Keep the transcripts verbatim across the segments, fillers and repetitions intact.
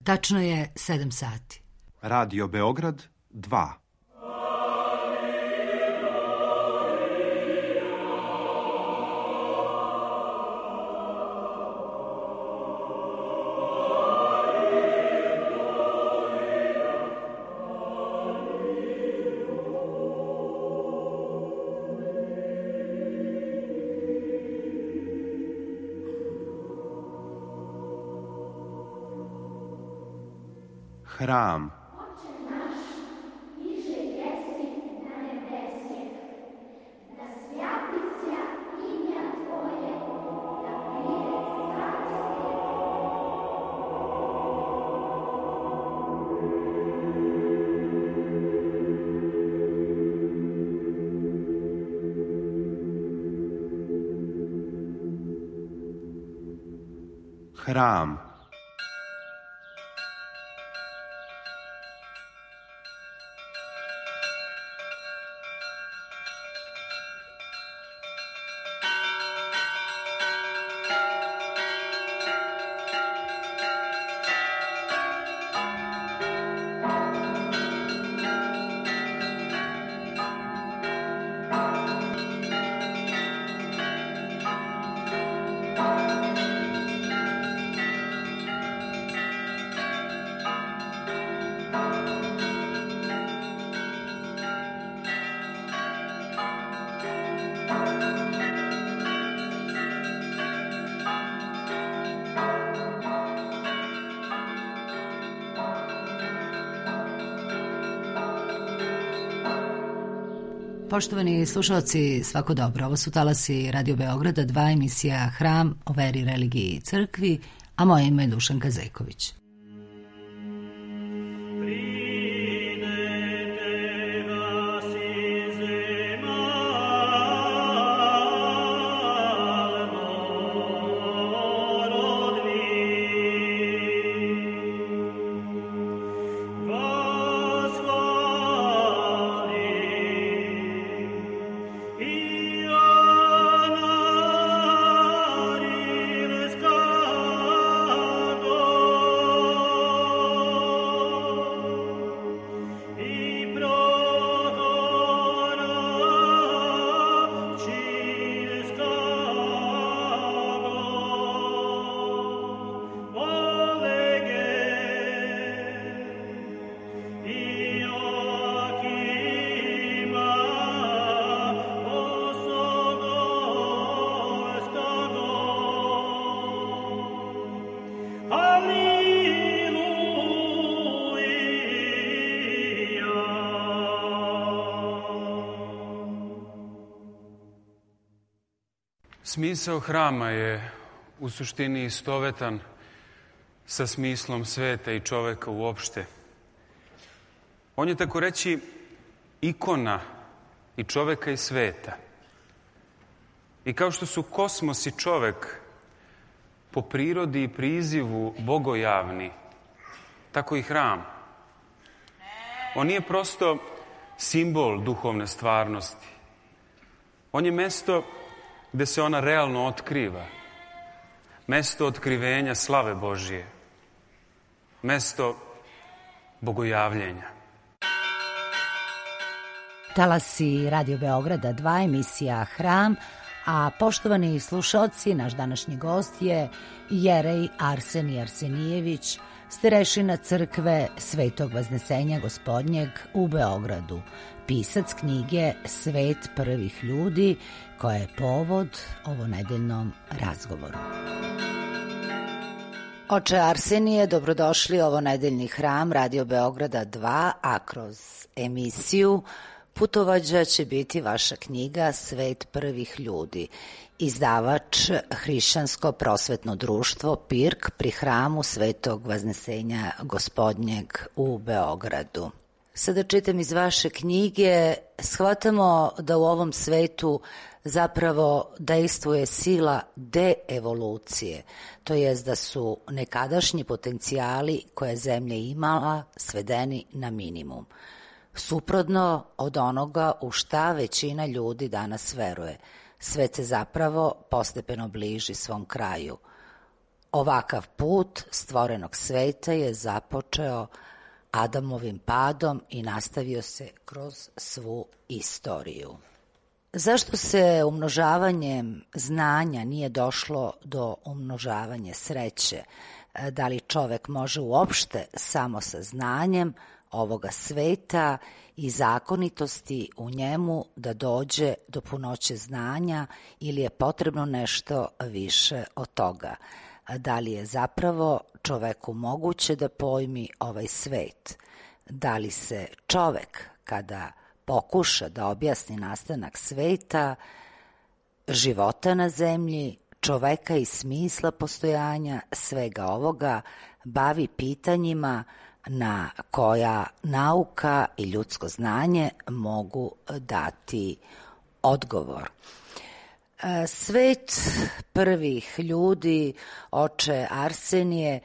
Tačno je sedam sati. Radio Beograd dva. Hram. Hram. Poštovani slušalci, svako dobro. Ovo su talasi Radio Beograda dva, emisija Hram o veri, religiji i crkvi, a moje ime je Dušanka Zeković. Smisao hrama je u suštini istovetan sa smislom sveta i čoveka uopšte. On je, tako reći, ikona i čoveka i sveta. I kao što su kosmos i čovek po prirodi i prizivu bogojavni, tako i hram. On nije prosto simbol duhovne stvarnosti. On je mesto gde se ona realno otkriva. Mesto otkrivenja slave Božije. Mesto bogojavljenja. Talasi Radio Beograda dva, emisija Hram, a poštovani slušalci, naš današnji gost je jerej Arsenij Arsenijević, starešina crkve Svetog Vaznesenja Gospodnjeg u Beogradu, pisac knjige Svet prvih ljudi, koja je povod ovonedeljnom razgovoru. Oče Arsenije, dobrodošli u ovonedeljni Hram Radio Beograda dva, a kroz emisiju putovađa će biti vaša knjiga Svet prvih ljudi, izdavač Hrišćansko prosvetno društvo Pirk pri hramu Svetog Vaznesenja Gospodnjeg u Beogradu. Sada čitam iz vaše knjige, shvatamo da u ovom svetu zapravo dejstvuje sila deevolucije, to jest da su nekadašnji potencijali koje zemlja imala svedeni na minimum. Suprotno od onoga u šta većina ljudi danas veruje, svet se zapravo postepeno bliži svom kraju. Ovakav put stvorenog sveta je započeo Adamovim padom i nastavio se kroz svu istoriju. Zašto se umnožavanjem znanja nije došlo do umnožavanja sreće? Da li čovek može uopšte samo sa znanjem ovoga sveta i zakonitosti u njemu da dođe do punoće znanja ili je potrebno nešto više od toga? Da li je zapravo čoveku moguće da pojmi ovaj svet? Da li se čovek, kada pokuša da objasni nastanak sveta, života na zemlji, čoveka i smisla postojanja svega ovoga, bavi pitanjima na koja nauka i ljudsko znanje mogu dati odgovor? Svet prvih ljudi, oče Arsenije,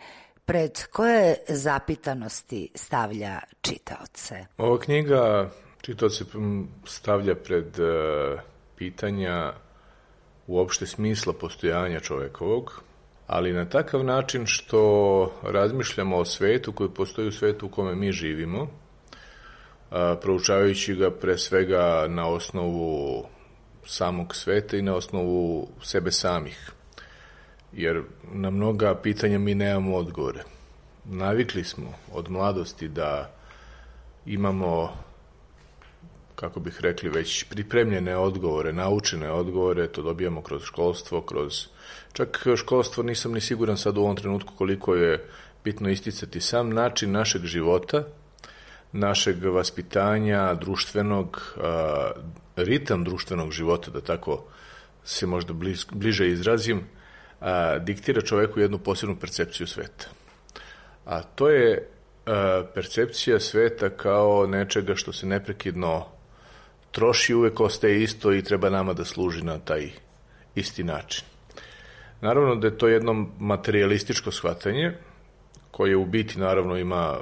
pred koje zapitanosti stavlja čitaoce? Ova knjiga čitaoce stavlja pred uh, pitanja uopšte smisla postojanja čovekovog, ali na takav način što razmišljamo o svetu koji postoji u svetu u kome mi živimo, uh, proučavajući ga pre svega na osnovu samog sveta i na osnovu sebe samih. Jer na mnoga pitanja mi nemamo odgovore. Navikli smo od mladosti da imamo, kako bih rekli, već pripremljene odgovore, naučene odgovore, to dobijamo kroz školstvo, kroz... Čak školstvo nisam ni siguran sad u ovom trenutku koliko je bitno isticati sam način našeg života, našeg vaspitanja, društvenog, a, ritam društvenog života, da tako se možda bliz, bliže izrazim, a, diktira čoveku jednu posebnu percepciju sveta. A to je a, percepcija sveta kao nečega što se neprekidno troši, uvek ostaje isto i treba nama da služi na taj isti način. Naravno da je to jedno materialističko shvatanje, koje u biti naravno ima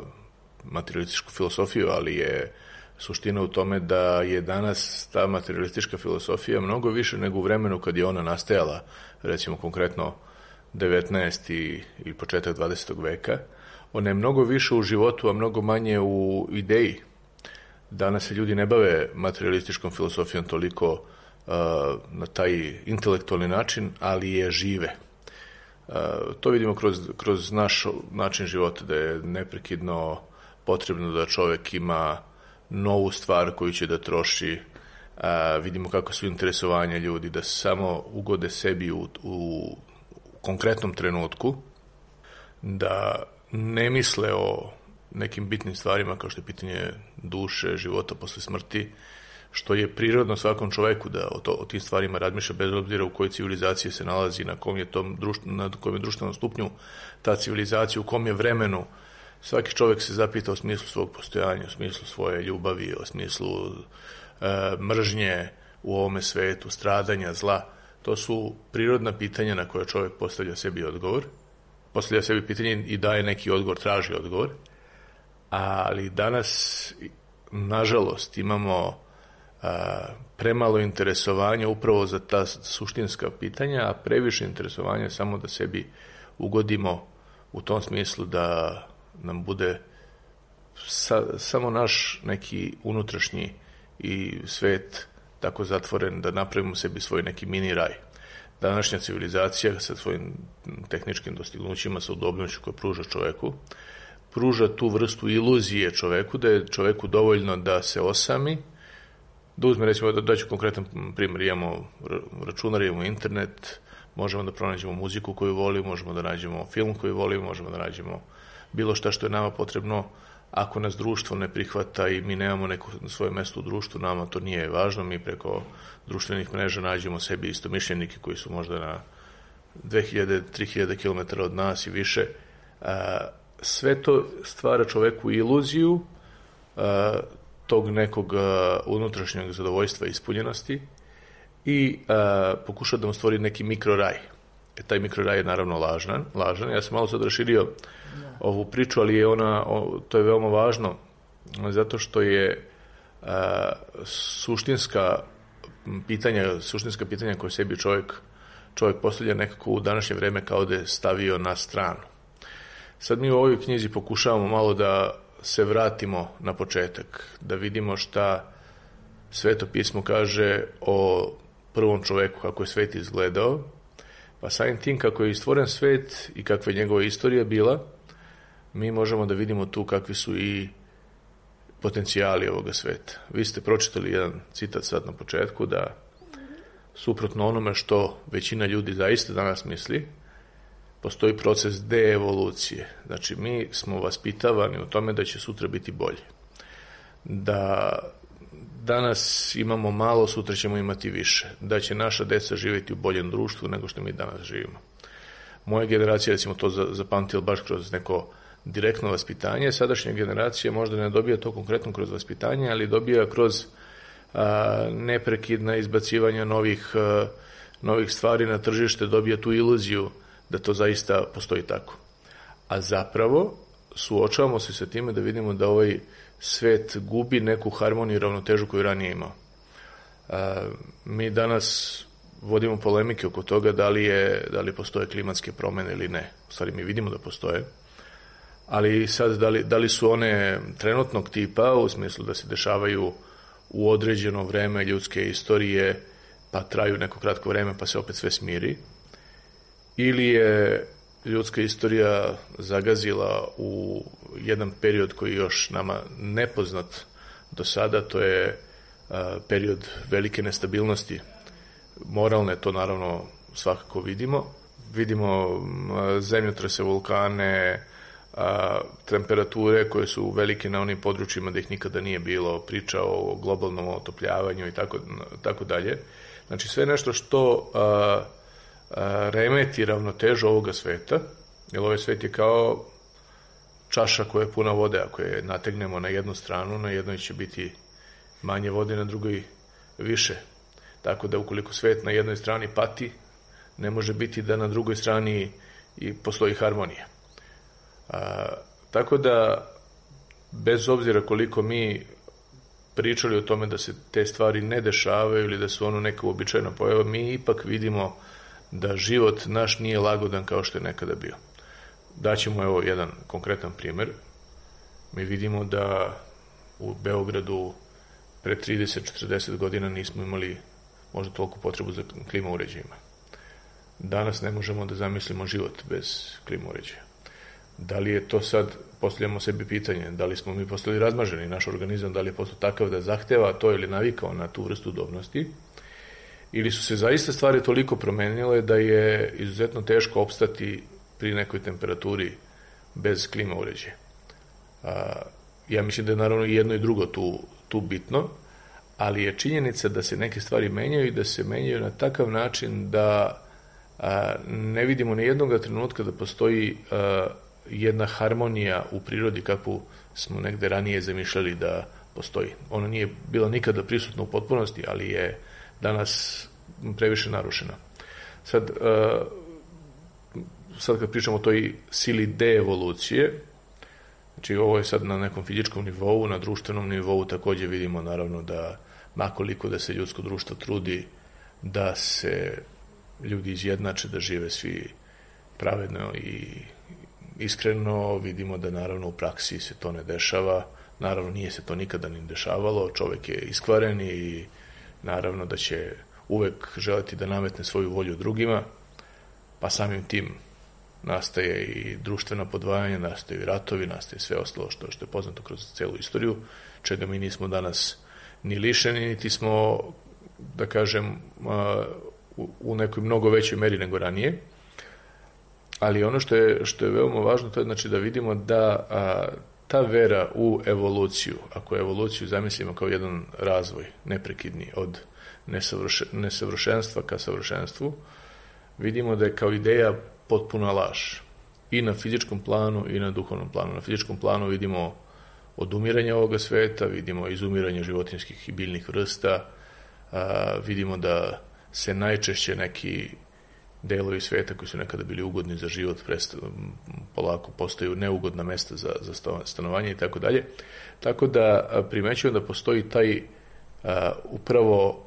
materialističku filosofiju, ali je suština u tome da je danas ta materialistička filosofija mnogo više nego u vremenu kad je ona nastajala, recimo konkretno devetnaesti ili početak dvadesetog veka. Ona je mnogo više u životu, a mnogo manje u ideji. Danas se ljudi ne bave materialističkom filosofijom toliko uh, na taj intelektualni način, ali je žive. Uh, to vidimo kroz, kroz naš način života, da je neprekidno potrebno da čovek ima novu stvar koju će da troši. A, vidimo kako su interesovanja ljudi, da samo ugode sebi u, u konkretnom trenutku, da ne misle o nekim bitnim stvarima kao što je pitanje duše, života posle smrti, što je prirodno svakom čoveku da o, to, o tim stvarima razmišlja bez obzira u kojoj civilizaciji se nalazi, na kom je, tom društv, na kom je društvenom stupnju ta civilizacija, u kom je vremenu. Svaki čovjek se zapita o smislu svog postojanja, o smislu svoje ljubavi, o smislu e, mržnje u ovome svetu, stradanja, zla. To su prirodna pitanja na koje čovjek postavlja sebi odgovor. Postavlja sebi pitanje i daje neki odgovor, traži odgovor. Ali danas, nažalost, imamo a, premalo interesovanja upravo za ta suštinska pitanja, a previše interesovanja samo da sebi ugodimo u tom smislu da nam bude sa, samo naš neki unutrašnji i svet tako zatvoren da napravimo sebi svoj neki mini raj. Današnja civilizacija sa svojim tehničkim dostignućima, sa udobnošću koje pruža čoveku, pruža tu vrstu iluzije čoveku, da je čoveku dovoljno da se osami, da uzme, recimo, da daću konkretan primjer, imamo računar, imamo internet, možemo da pronađemo muziku koju volimo, možemo da nađemo film koji volimo, možemo da nađemo bilo šta što je nama potrebno. Ako nas društvo ne prihvata i mi nemamo neko svoje mesto u društvu, nama to nije važno, mi preko društvenih mreža nađemo sebi istomišljenike koji su možda na dve hiljade do tri hiljade kilometara od nas i više. Sve to stvara čoveku iluziju tog nekog unutrašnjeg zadovoljstva i ispunjenosti i pokuša da mu stvori neki mikroraj. E, taj mikroraj je naravno lažan, lažan. Ja sam malo sad raširio ovu priču, ali je ona, to je veoma važno, zato što je a, suštinska pitanja, suštinska pitanja koje sebi čovjek čovjek postavlja nekako u današnje vreme kao da je stavio na stranu. Sad mi u ovoj knjizi pokušavamo malo da se vratimo na početak, da vidimo šta Sveto pismo kaže o prvom čoveku, kako je svet izgledao, pa samim tim kako je stvoren svet i kakva je njegova istorija bila, mi možemo da vidimo tu kakvi su i potencijali ovoga sveta. Vi ste pročitali jedan citat sad na početku da suprotno onome što većina ljudi zaista danas misli, postoji proces deevolucije. Znači, mi smo vaspitavani u tome da će sutra biti bolje. Da danas imamo malo, sutra ćemo imati više. Da će naša deca živjeti u boljem društvu nego što mi danas živimo. Moja generacija, recimo, to zapamtila baš kroz neko direktno vaspitanje. Sadašnja generacija možda ne dobija to konkretno kroz vaspitanje, ali dobija kroz a, neprekidna izbacivanja novih, a, novih stvari na tržište, dobija tu iluziju da to zaista postoji tako. A zapravo suočavamo se sa time da vidimo da ovaj svet gubi neku harmoniju i ravnotežu koju ranije imao. A, mi danas vodimo polemike oko toga da li, je, da li postoje klimatske promene ili ne. U stvari mi vidimo da postoje, ali sad da li, da li su one trenutnog tipa, u smislu da se dešavaju u određeno vreme ljudske istorije, pa traju neko kratko vreme pa se opet sve smiri, ili je ljudska istorija zagazila u jedan period koji je još nama nepoznat do sada, to je a, period velike nestabilnosti. Moralne to naravno svakako vidimo. Vidimo a, zemljotrese, vulkane, a, temperature koje su velike na onim područjima da ih nikada nije bilo, priča o globalnom otopljavanju i tako, tako dalje. Znači sve nešto što a, a, remeti ravnotežu ovoga sveta, jer ovaj svet je kao čaša koja je puna vode, ako je nategnemo na jednu stranu, na jednoj će biti manje vode, na drugoj više. Tako da ukoliko svet na jednoj strani pati, ne može biti da na drugoj strani i postoji harmonija. A, tako da, bez obzira koliko mi pričali o tome da se te stvari ne dešavaju ili da su ono neka uobičajena pojava, mi ipak vidimo da život naš nije lagodan kao što je nekada bio. Daćemo evo jedan konkretan primjer. Mi vidimo da u Beogradu pre trideset do četrdeset godina nismo imali možda toliko potrebu za klima uređajima. Danas ne možemo da zamislimo život bez klima uređaja. Da li je to sad, postavljamo sebi pitanje, da li smo mi postali razmaženi, naš organizam, da li je postao takav da zahteva to ili navikao na tu vrstu udobnosti, ili su se zaista stvari toliko promenile da je izuzetno teško opstati pri nekoj temperaturi bez klima uređaja. Ja mislim da je naravno i jedno i drugo tu, tu bitno, ali je činjenica da se neke stvari menjaju i da se menjaju na takav način da a, ne vidimo ni jednog trenutka da postoji a, jedna harmonija u prirodi kakvu smo negde ranije zamišljali da postoji. Ona nije bila nikada prisutna u potpunosti, ali je danas previše narušena. Sad, a, sad kad pričamo o toj sili deevolucije, znači ovo je sad na nekom fizičkom nivou, na društvenom nivou takođe vidimo naravno da makoliko da se ljudsko društvo trudi da se ljudi izjednače, da žive svi pravedno i iskreno, vidimo da naravno u praksi se to ne dešava, naravno nije se to nikada ni dešavalo, čovek je iskvaren i naravno da će uvek želeti da nametne svoju volju drugima, pa samim tim nastaje i društvena podvajanja, nastaje i ratovi, nastaje sve ostalo što, što je poznato kroz celu istoriju, čega mi nismo danas ni lišeni, niti smo, da kažem, u nekoj mnogo većoj meri nego ranije. Ali ono što je, što je veoma važno, to je znači da vidimo da a, ta vera u evoluciju, ako evoluciju zamislimo kao jedan razvoj neprekidni od nesavrše, nesavršenstva ka savršenstvu, vidimo da je kao ideja potpuna laž. I na fizičkom planu i na duhovnom planu. Na fizičkom planu vidimo odumiranje ovoga sveta, vidimo izumiranje životinjskih i biljnih vrsta, a, vidimo da se najčešće neki delovi sveta koji su nekada bili ugodni za život presta, polako postaju neugodna mesta za, za stanovanje i tako dalje. Tako da primećujem da postoji taj a, upravo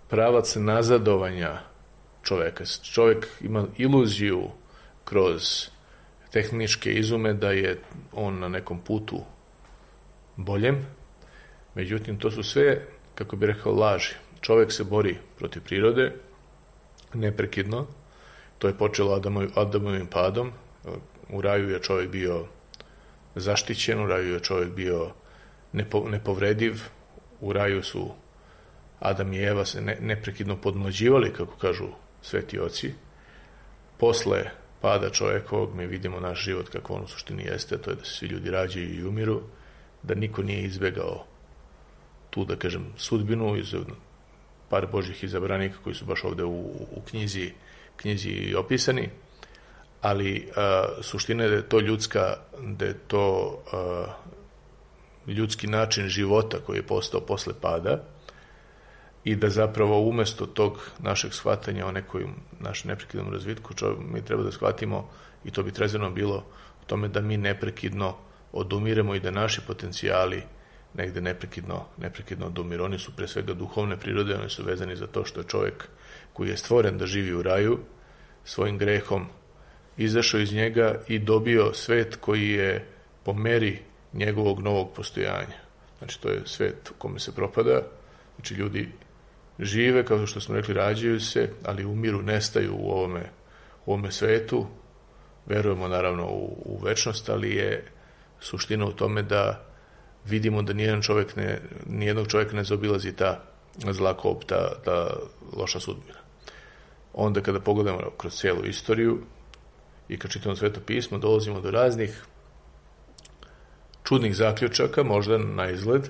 pravac nazadovanja čoveka. Čovjek ima iluziju kroz tehničke izume da je on na nekom putu boljem, međutim to su sve, kako bi rekao, laži. Čovjek se bori protiv prirode neprekidno. To je počelo Adamovim padom. U raju je čovjek bio zaštićen, u raju je čovjek bio nepo, nepovrediv, u raju su Adam i Eva se ne, neprekidno podmlađivali, kako kažu sveti oci. Posle pada čovjekovog mi vidimo naš život kako on u suštini jeste, to je da se svi ljudi rađaju i umiru, da niko nije izbegao tu, da kažem, sudbinu iz par Božjih izabranika koji su baš ovde u, u knjizi, knjizi opisani, ali a, suština je da je to ljudska, da je to a, ljudski način života koji je postao posle pada i da zapravo umesto tog našeg shvatanja o nekoj našem neprekidnom razvitku, čo, mi treba da shvatimo, i to bi trezveno bilo, o tome da mi neprekidno odumiremo i da naši potencijali negde neprekidno, neprekidno odumiru. Oni su pre svega duhovne prirode, oni su vezani za to što je čovjek koji je stvoren da živi u raju, svojim grehom izašao iz njega i dobio svet koji je po meri njegovog novog postojanja. Znači, to je svet u kome se propada, znači ljudi žive, kao što smo rekli, rađaju se, ali umiru, nestaju u ovome, u ovome svetu. Verujemo naravno u, u večnost, ali je suština u tome da vidimo da nijedan čovjek ne, nijednog čovjeka ne zaobilazi ta zla kop, ta, ta loša sudbina. Onda kada pogledamo kroz cijelu istoriju i kad čitamo Sveto pismo, dolazimo do raznih čudnih zaključaka, možda na izgled,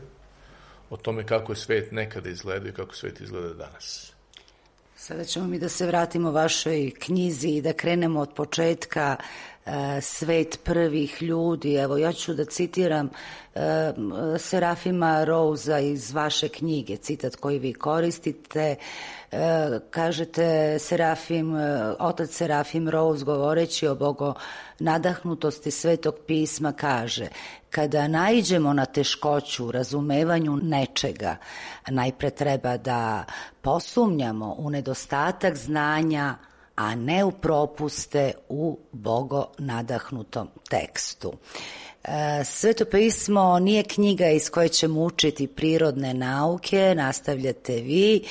o tome kako je svet nekada izgleda i kako svet izgleda danas. Sada ćemo mi da se vratimo vašoj knjizi i da krenemo od početka, e, svet prvih ljudi. Evo, ja ću da citiram e, Serafima Rousea iz vaše knjige, citat koji vi koristite. E, kažete, Serafim, otac Serafim Rouse, govoreći o bogo nadahnutosti Svetog pisma, kaže: kada naiđemo na teškoću u razumevanju nečega, najpre treba da posumnjamo u nedostatak znanja, a ne u propuste u bogo nadahnutom tekstu. Sveto pismo nije knjiga iz koje ćemo učiti prirodne nauke, nastavljate vi,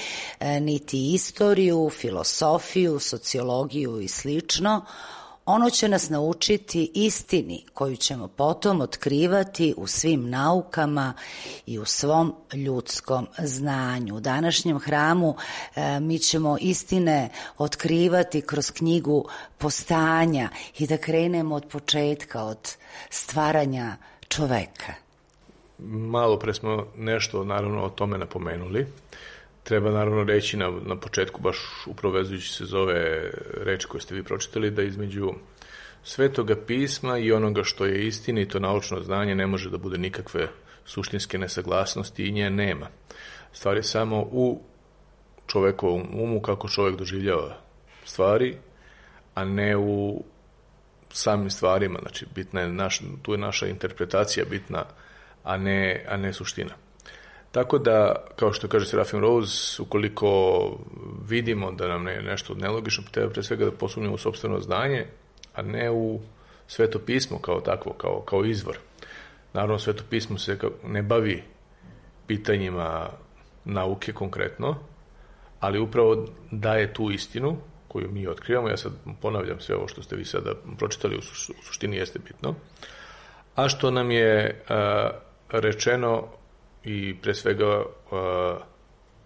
niti istoriju, filosofiju, sociologiju i slično. Ono će nas naučiti istini koju ćemo potom otkrivati u svim naukama i u svom ljudskom znanju. U današnjem hramu e, mi ćemo istine otkrivati kroz knjigu Postanja i da krenemo od početka, od stvaranja čoveka. Malo pre smo nešto naravno o tome napomenuli. Treba naravno reći na, na početku, baš upravo vezujući se za ove reči koje ste vi pročitali, da između Svetoga pisma i onoga što je istinito naučno znanje ne može da bude nikakve suštinske nesaglasnosti i nje nema. Stvar je samo u čovekovom umu, kako čovjek doživljava stvari, a ne u samim stvarima. Znači, bitna je naš, tu je naša interpretacija bitna, a ne, a ne suština. Tako da, kao što kaže Serafim Rouse, ukoliko vidimo da nam je nešto nelogično, treba pre svega da posumnjamo u sopstveno znanje, a ne u Sveto pismo kao takvo, kao, kao izvor. Naravno, Sveto pismo se ne bavi pitanjima nauke konkretno, ali upravo daje tu istinu koju mi otkrivamo. Ja sad ponavljam sve ovo što ste vi sada pročitali, u suštini jeste bitno. A što nam je a, rečeno i pre svega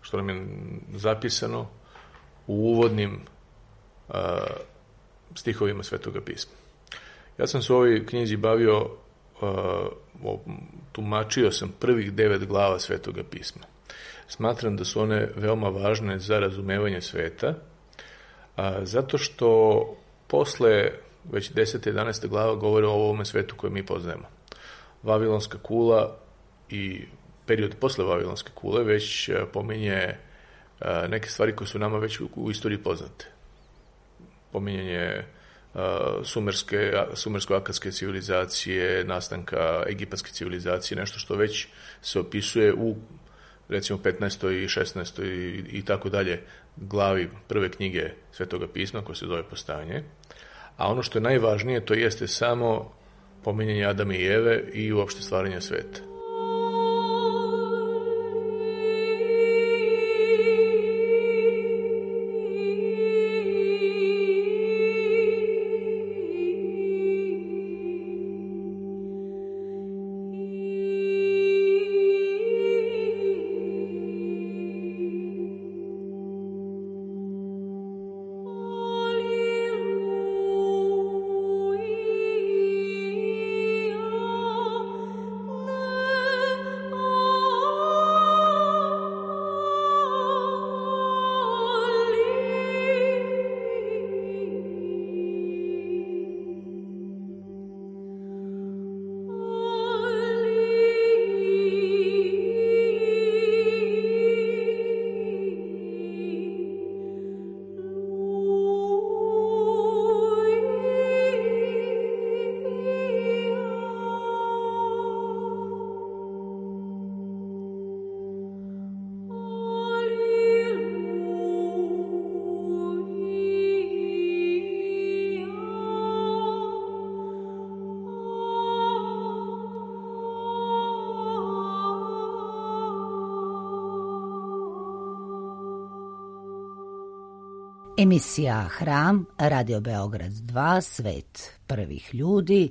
što nam je zapisano u uvodnim stihovima Svetoga pisma. Ja sam se u ovoj knjizi bavio, tumačio sam prvih devet glava Svetoga pisma. Smatram da su one veoma važne za razumevanje sveta, zato što posle već deseta i jedanaesta glava govore o ovome svetu koje mi poznajemo. Vavilonska kula i period posle Vavilonske kule već pominje neke stvari koje su nama već u istoriji poznate. Pominjanje sumerske, sumersko-akadske civilizacije, nastanka egipatske civilizacije, nešto što već se opisuje u recimo petnaestoj i šesnaestoj i, i tako dalje glavi prve knjige Svetoga pisma koja se zove Postajanje. A ono što je najvažnije, to jeste samo pominjanje Adama i Eve i uopšte stvaranja sveta. Emisija Hram, Radio Beograd dva, Svet prvih ljudi,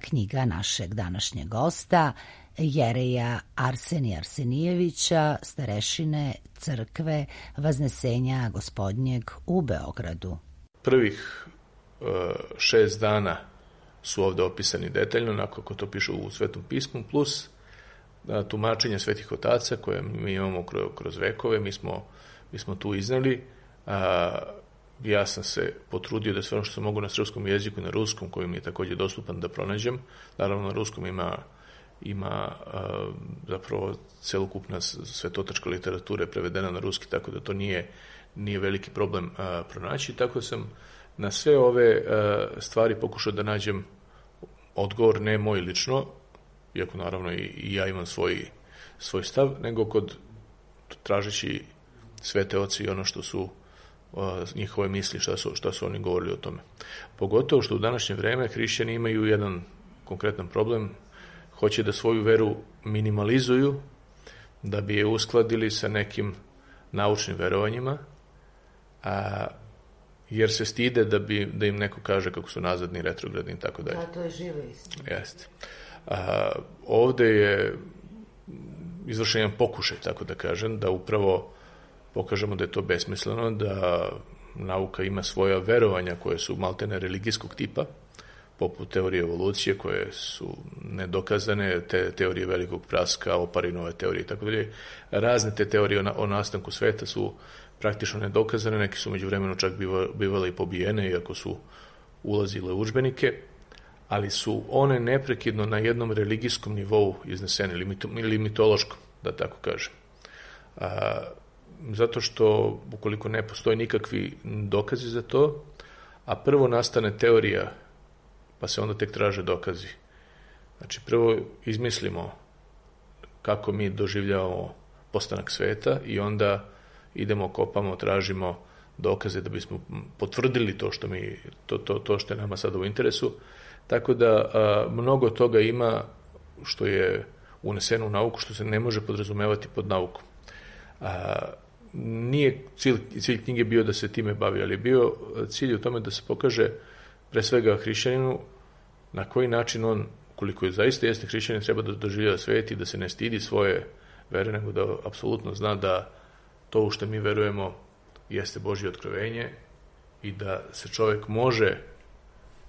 knjiga našeg današnjeg gosta, jereja Arsenija Arsenijevića, starešine crkve Vaznesenja Gospodnjeg u Beogradu. Prvih uh, šest dana su ovde opisani detaljno, onako kako to piše u Svetom pismu, plus uh, tumačenje svetih otaca koje mi imamo kroz, kroz vekove, mi smo, mi smo tu iznali. A, ja sam se potrudio da sve ono što sam mogu na srpskom jeziku i na ruskom, koji mi je također dostupan, da pronađem. Naravno, na ruskom ima, ima a, zapravo celokupna svetotačka literatura je prevedena na ruski, tako da to nije, nije veliki problem a, pronaći. Tako sam na sve ove a, stvari pokušao da nađem odgovor, ne moj lično, iako naravno i, i ja imam svoj, svoj stav, nego kod tražeći svete oci i ono što su njihove misli, šta su, šta su oni govorili o tome. Pogotovo što u današnje vreme hrišćani imaju jedan konkretan problem, hoće da svoju veru minimalizuju, da bi je uskladili sa nekim naučnim verovanjima, a, jer se stide da, bi, da im neko kaže kako su nazadni, retrogradni i tako dalje. Da, to je živa istina. Jeste. A, ovde je izvršen jedan pokušaj, tako da kažem, da upravo pokažemo da je to besmisleno, da nauka ima svoja verovanja koje su maltene religijskog tipa, poput teorije evolucije koje su nedokazane, te teorije velikog praska, Oparinove teorije i tako dalje. Razne te teorije o nastanku sveta su praktično nedokazane, neki su među vremenu čak bivale i pobijene, iako su ulazile u udžbenike, ali su one neprekidno na jednom religijskom nivou iznesene, ili mitološkom, da tako kažem. A, zato što, ukoliko ne postoji nikakvi dokazi za to, a prvo nastane teorija, pa se onda tek traže dokazi. Znači, prvo izmislimo kako mi doživljavamo postanak sveta i onda idemo, kopamo, tražimo dokaze da bismo potvrdili to što, mi, to, to, to što je nama sada u interesu. Tako da a, mnogo toga ima što je uneseno u nauku, što se ne može podrazumevati pod naukom. A, nije cilj, cilj knjige bio da se time bavi, ali je bio cilj u tome da se pokaže pre svega hrišćaninu na koji način on, koliko je zaista jeste hrišćanin, treba da doživljava svet i da se ne stidi svoje vere, nego da apsolutno zna da to u što mi verujemo jeste Božje otkrovenje i da se čovjek može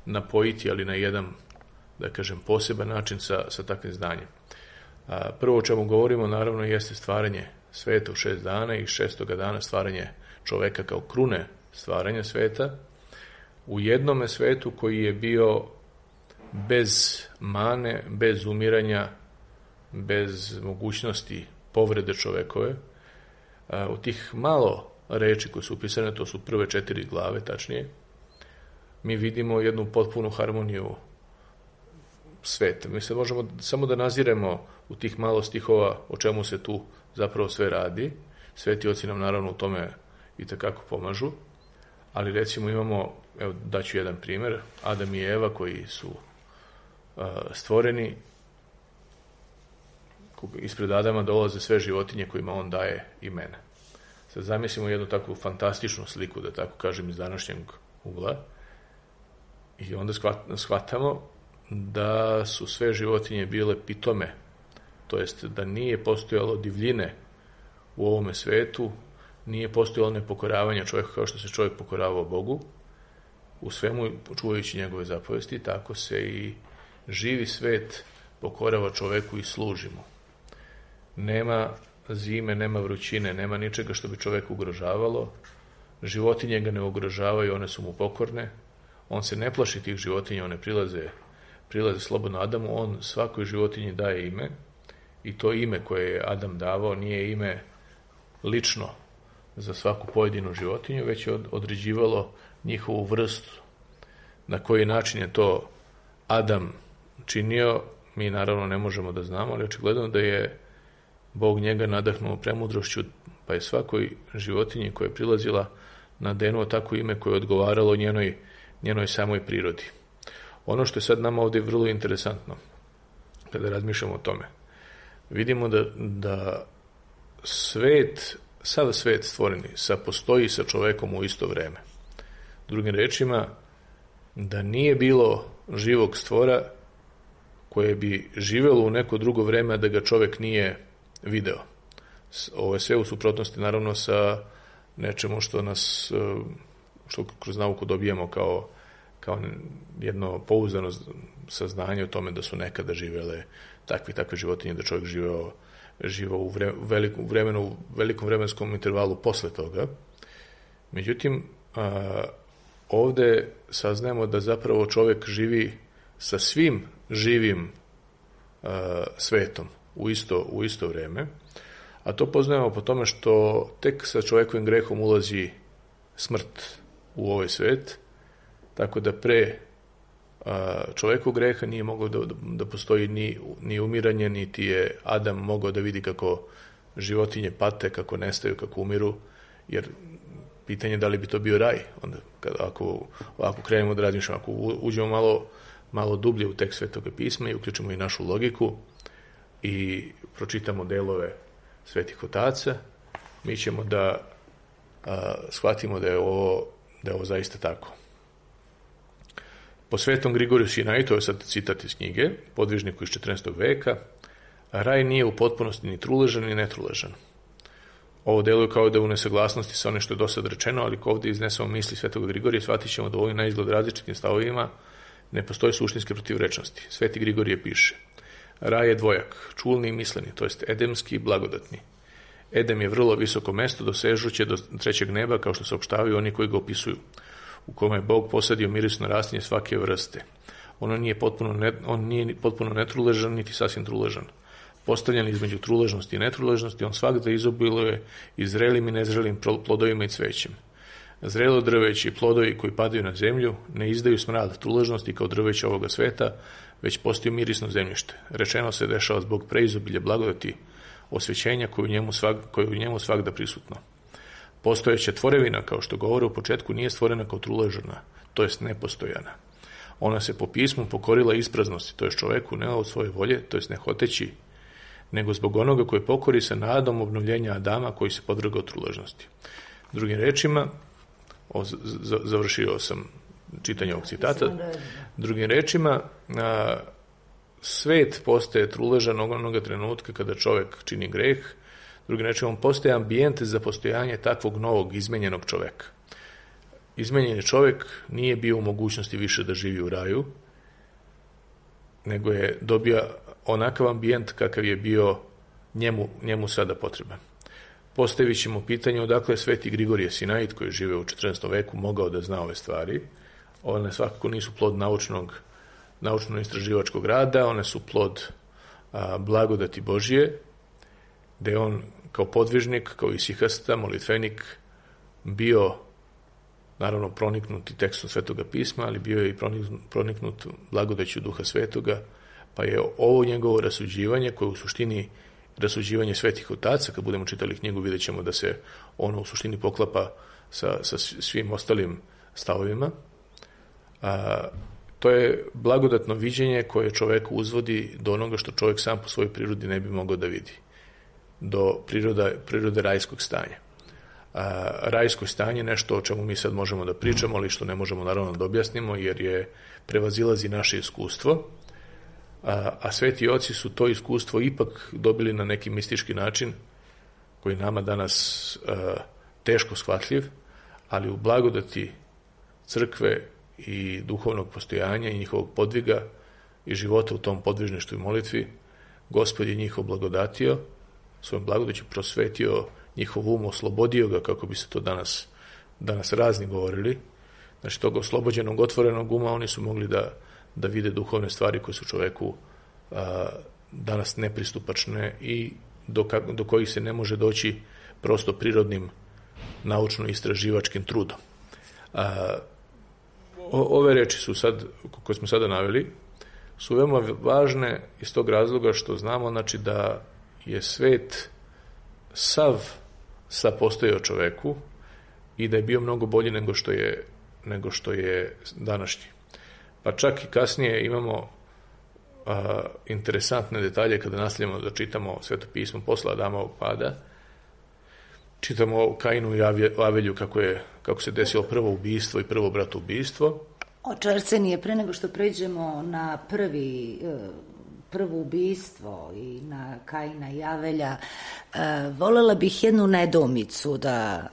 napojiti, ali na jedan, da kažem, poseban način sa, sa takvim znanjem. A, prvo o čemu govorimo, naravno, jeste stvaranje sveta u šest dana i šestoga dana stvaranje čoveka kao krune stvaranja sveta u jednome svetu koji je bio bez mane, bez umiranja, bez mogućnosti povrede čovekove. U tih malo reči koje su upisane, to su prve četiri glave, tačnije, mi vidimo jednu potpunu harmoniju sveta. Mi se možemo samo da naziremo u tih malo stihova o čemu se tu zapravo sve radi. Sveti oci nam naravno u tome itekako pomažu, ali recimo imamo, evo daću jedan primjer, Adam i Eva koji su uh, stvoreni, ispred Adama dolaze sve životinje kojima on daje imena. Sad zamislimo jednu takvu fantastičnu sliku, da tako kažem, iz današnjeg ugla, i onda shvatamo da su sve životinje bile pitome, to jest da nije postojalo divljine u ovome svetu, nije postojalo nepokoravanje čovjeka kao što se čovjek pokoravao Bogu, u svemu čuvajući njegove zapovesti, tako se i živi svet pokorava čovjeku i služi mu. Nema zime, nema vrućine, nema ničega što bi čovjek ugrožavalo, životinje ga ne ugrožavaju, one su mu pokorne, on se ne plaši tih životinja, one prilaze, prilaze slobodno Adamu, on svakoj životinji daje ime, i to ime koje je Adam davao nije ime lično za svaku pojedinu životinju, već je određivalo njihovu vrstu. Na koji način je to Adam činio, mi naravno ne možemo da znamo, ali očigledno da je Bog njega nadahnuo premudrošću, pa je svakoj životinji koja je prilazila nadenuo tako ime koje je odgovaralo njenoj, njenoj samoj prirodi. Ono što je sad nama ovdje vrlo interesantno, kada razmišljamo o tome, vidimo da, da svet, sav svet stvoreni, sa postoji sa čovekom u isto vreme. Drugim rečima, da nije bilo živog stvora koje bi živjelo u neko drugo vreme, a da ga čovek nije video. Ovo je sve u suprotnosti naravno sa nečemu što nas, što kroz nauku dobijemo kao, kao jedno pouzdano saznanje o tome da su nekada živjele takve takve životinje, da čovjek živeo, živeo u, vre, velikom, vremenu, u velikom vremenskom intervalu posle toga. Međutim, a, ovde saznajemo da zapravo čovjek živi sa svim živim a, svetom u isto, u isto vreme, a to poznajemo po tome što tek sa čovjekovim grehom ulazi smrt u ovaj svet, tako da pre čovjeku greha nije mogao da, da postoji ni, ni umiranje, niti je Adam mogao da vidi kako životinje pate, kako nestaju, kako umiru, jer pitanje da li bi to bio raj, onda kada, ako, ako krenemo da razmišljamo, ako uđemo malo, malo dublje u tekst Svetoga pisma i uključimo i našu logiku i pročitamo delove svetih otaca, mi ćemo da a, shvatimo da je ovo, da je ovo zaista tako. Po svetom Grigoriju Sinaju, to je sad citat iz knjige, podvižniku iz četrnaestog veka, raj nije u potpunosti ni truležan ni netruležan. Ovo deluje kao da je u nesaglasnosti sa onim što je do sad rečeno, ali ko ovdje iznesemo misli svetog Grigorija, shvatit ćemo da u ovim na izgled različitim stavovima ne postoji suštinske protivrečnosti. Sveti Grigorije piše: raj je dvojak, čulni i misleni, to jest edemski i blagodatni. Edem je vrlo visoko mesto, dosežuće do trećeg neba, kao što saopštavaju oni koji ga opisuju, u kome je Bog posadio mirisno rastinje svake vrste. Ono nije potpuno, ne, on nije potpuno netruležan, niti sasvim truležan. Postavljen između truležnosti i netruležnosti, on svakda izobiluje i zrelim i nezrelim plodovima i cvećem. Zrelo drveće i plodovi koji padaju na zemlju ne izdaju smrad truležnosti kao drveće ovoga sveta, već postaju mirisno zemljište. Rečeno se dešava zbog preizobilja blagodati osvećenja koju njemu, svak, koju njemu svakda prisutno. Postojeća tvorevina, kao što govore u početku, nije stvorena kao truležana, to jest nepostojana. Ona se po pismu pokorila ispraznosti, to jest čoveku ne od svoje volje, to jest ne hoteći, nego zbog onoga koji pokori sa nadom obnovljenja Adama koji se podvrgao truležnosti. Drugim rečima, o, z, završio sam čitanje ovog citata, drugim rečima, a, svet postaje truležan onoga trenutka kada čovek čini greh. Drugim rečima, on postaje ambijent za postojanje takvog novog, izmenjenog čoveka. Izmenjeni čovek nije bio u mogućnosti više da živi u raju, nego je dobio onakav ambijent kakav je bio njemu, njemu sada potreban. Postavit ćemo pitanje odakle sveti Grigorije Sinajit, koji žive u četrnaestom veku, mogao da zna ove stvari. One svakako nisu plod naučnog, naučno-istraživačkog rada, one su plod a, blagodati Božije, gde je on kao podvižnik, kao isihasta, molitvenik, bio naravno proniknut i tekstom Svetoga pisma, ali bio je i proniknut blagodaću Duha Svetoga Pa je ovo njegovo rasuđivanje, koje je u suštini rasuđivanje svetih otaca, kad budemo čitali knjigu, vidjet ćemo da se ono u suštini poklapa sa, sa svim ostalim stavovima. A, to je blagodatno viđenje koje čoveku uzvodi do onoga što čovjek sam po svojoj prirodi ne bi mogao da vidi, do priroda, prirode rajskog stanja. A, rajsko stanje je nešto o čemu mi sad možemo da pričamo, ali što ne možemo naravno da objasnimo, jer je prevazilazi naše iskustvo, a, a sveti oci su to iskustvo ipak dobili na neki mistički način, koji nama danas a, teško shvatljiv, ali u blagodati crkve i duhovnog postojanja i njihovog podviga i života u tom podvižništvu i molitvi, Gospod je njih oblagodatio, svojom blagodaću prosvetio njihov um, oslobodio ga, kako bi se to danas, danas razni govorili. Znači, tog oslobođenog, otvorenog uma oni su mogli da, da vide duhovne stvari koje su čoveku a, danas nepristupačne i do, do kojih se ne može doći prosto prirodnim naučno-istraživačkim trudom. A, o, ove reči su sad, koje smo sada naveli, su veoma važne iz tog razloga što znamo, znači, da je svet sav sa postojao čoveku i da je bio mnogo bolji nego što je, nego što je današnji. Pa čak i kasnije imamo a, interesantne detalje kada nastavljamo da čitamo Sveto pismo posle Adamovog pada. Čitamo o Kainu i Avelju kako, je, kako se desilo prvo ubistvo i prvo bratoubistvo. Oče Arsenije, pre nego što pređemo na prvi prvo ubistvo i na Kaina i Avelja, volela bih jednu nedoumicu da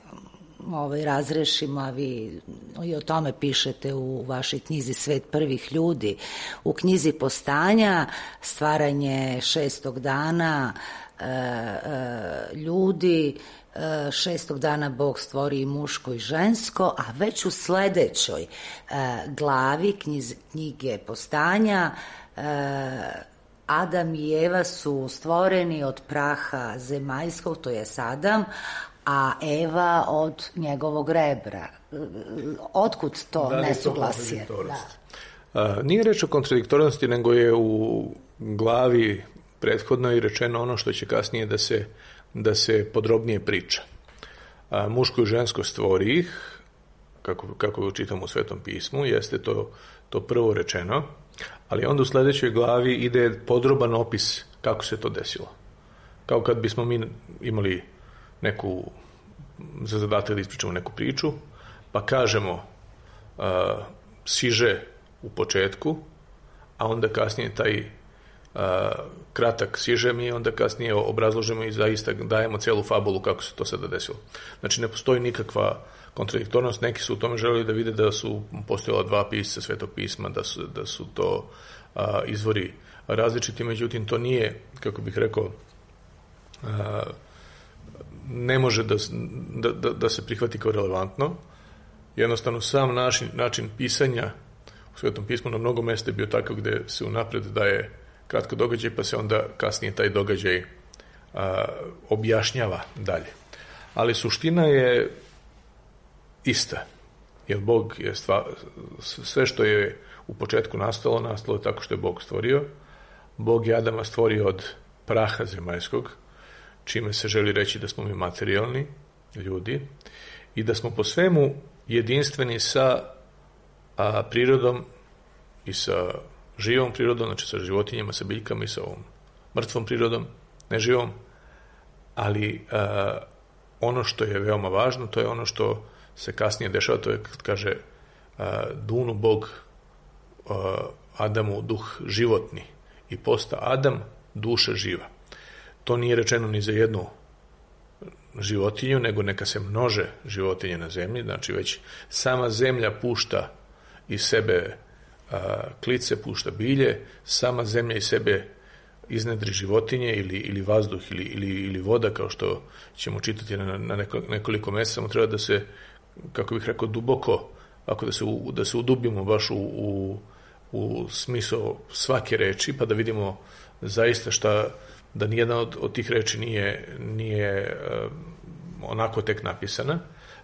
ovaj, razrešimo, a vi i o tome pišete u vašoj knjizi Svet prvih ljudi. U knjizi Postanja, stvaranje šestog dana e, e, ljudi, e, šestog dana Bog stvori i muško i žensko, a već u sledećoj e, glavi knjiz, knjige Postanja e, Adam i Eva su stvoreni od praha zemaljskog, to je Adam, a Eva od njegovog rebra. Otkud to da nesuglasje? Da. Nije reč o kontradiktornosti, nego je u glavi prethodno i rečeno ono što će kasnije da se, da se podrobnije priča. A, muško i žensko stvori ih, kako, kako čitamo u Svetom pismu, jeste to, to prvo rečeno, ali onda u sledećoj glavi ide podroban opis kako se to desilo. Kao kad bismo mi imali neku, za zadatak da ispričamo neku priču, pa kažemo uh, siže u početku, a onda kasnije taj uh, kratak siže mi, onda kasnije obrazložimo i zaista dajemo celu fabulu kako se to sada desilo. Znači, ne postoji nikakva kontradiktornost, neki su u tome želeli da vide da su postojala dva pisca Svetog pisma, da su, da su to a, izvori različiti, međutim to nije, kako bih rekao, a, ne može da, da, da se prihvati kao relevantno. Jednostavno sam način, način pisanja u Svetom pismu na mnogo mesta je bio takav gde se unapred daje kratko događaj, pa se onda kasnije taj događaj a, objašnjava dalje. Ali suština je ista, jer Bog je stva, sve što je u početku nastalo, nastalo je tako što je Bog stvorio. Bog je Adama stvorio od praha zemaljskog, čime se želi reći da smo mi materijalni ljudi i da smo po svemu jedinstveni sa a, prirodom i sa živom prirodom, znači sa životinjama, sa biljkama i sa ovom mrtvom prirodom, neživom, ali a, ono što je veoma važno, to je ono što se kasnije dešava, to je kad kaže a, dunu Bog a, Adamu duh životni i posta Adam duša živa. To nije rečeno ni za jednu životinju, nego neka se množe životinje na zemlji, znači već sama zemlja pušta iz sebe a, klice, pušta bilje, sama zemlja iz sebe iznedri životinje ili, ili vazduh ili, ili, ili voda, kao što ćemo čitati na, na neko, nekoliko mesta, samo treba da se, kako bih rekao, duboko, ako da se, u, da se udubimo baš u, u, u smisao svake reči, pa da vidimo zaista šta, da nijedna od, od tih reči nije, nije um, onako tek napisana.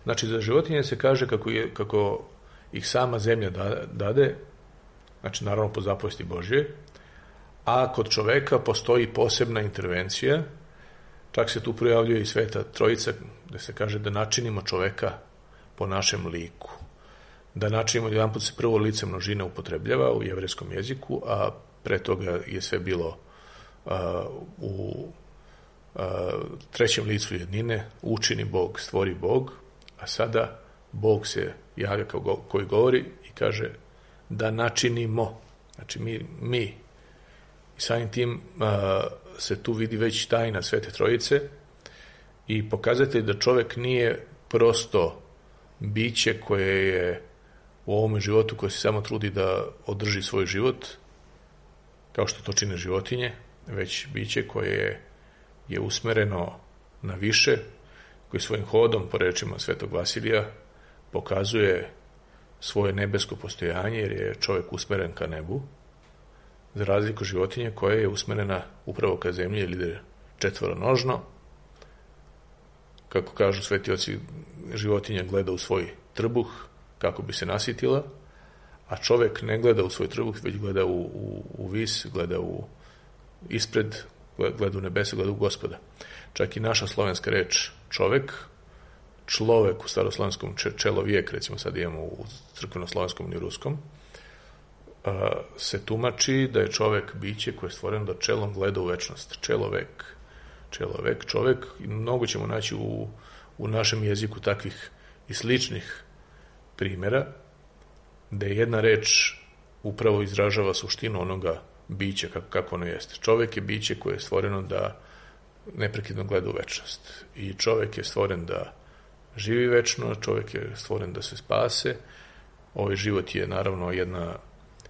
Znači, za životinje se kaže kako, je, kako ih sama zemlja da, dade, znači naravno po zapovesti Božje, a kod čoveka postoji posebna intervencija, čak se tu projavljuje i Sveta Trojica, gde se kaže da načinimo čoveka po našem liku. Da načinimo, jedan put se prvo lice množine upotrebljava u jevrejskom jeziku, a pre toga je sve bilo a, u a, trećem licu jednine, učini Bog, stvori Bog, a sada Bog se javlja kao go, koji govori i kaže da načinimo. Znači mi, mi. I samim tim a, se tu vidi već tajna Svete Trojice i pokazatelj da čovek nije prosto biće koje je u ovome životu, koje se samo trudi da održi svoj život, kao što to čine životinje, već biće koje je, je usmereno na više, koji svojim hodom, po rečima Svetog Vasilija, pokazuje svoje nebesko postojanje, jer je čovjek usmeren ka nebu, za razliku životinje koja je usmerena upravo ka zemlji, jer ide četvoronožno. Kako kažu sveti oci, životinja gleda u svoj trbuh kako bi se nasitila, a čovjek ne gleda u svoj trbuh, već gleda u, u, u vis, gleda u ispred, gleda u nebesa, gleda u Gospoda. Čak i naša slovenska reč čovek, človek u staroslovenskom čelovijek, recimo sad imamo u crkveno-slovenskom i ruskom, se tumači da je čovek biće koje je stvoreno da čelom gleda u večnost. Čelovek, čelovek, čovek. I mnogo ćemo naći u, u našem jeziku takvih i sličnih primjera, da je jedna reč upravo izražava suštinu onoga bića kako, kako ono jeste. Čovek je biće koje je stvoreno da neprekidno gleda u večnost. I čovek je stvoren da živi večno, čovek je stvoren da se spase. Ovaj život je naravno jedna,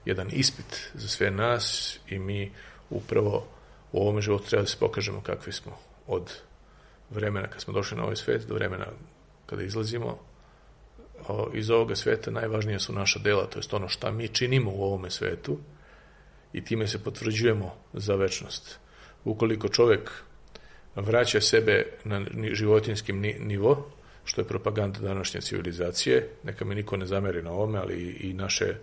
jedan ispit za sve nas i mi upravo u ovome životu treba da se pokažemo kakvi smo od vremena kad smo došli na ovaj svet do vremena kada izlazimo iz ovoga sveta. Najvažnije su naša dela, to je ono šta mi činimo u ovome svetu i time se potvrđujemo za večnost. Ukoliko čovek vraća sebe na životinjski nivo, što je propaganda današnje civilizacije, neka mi niko ne zameri na ovome, ali i naše,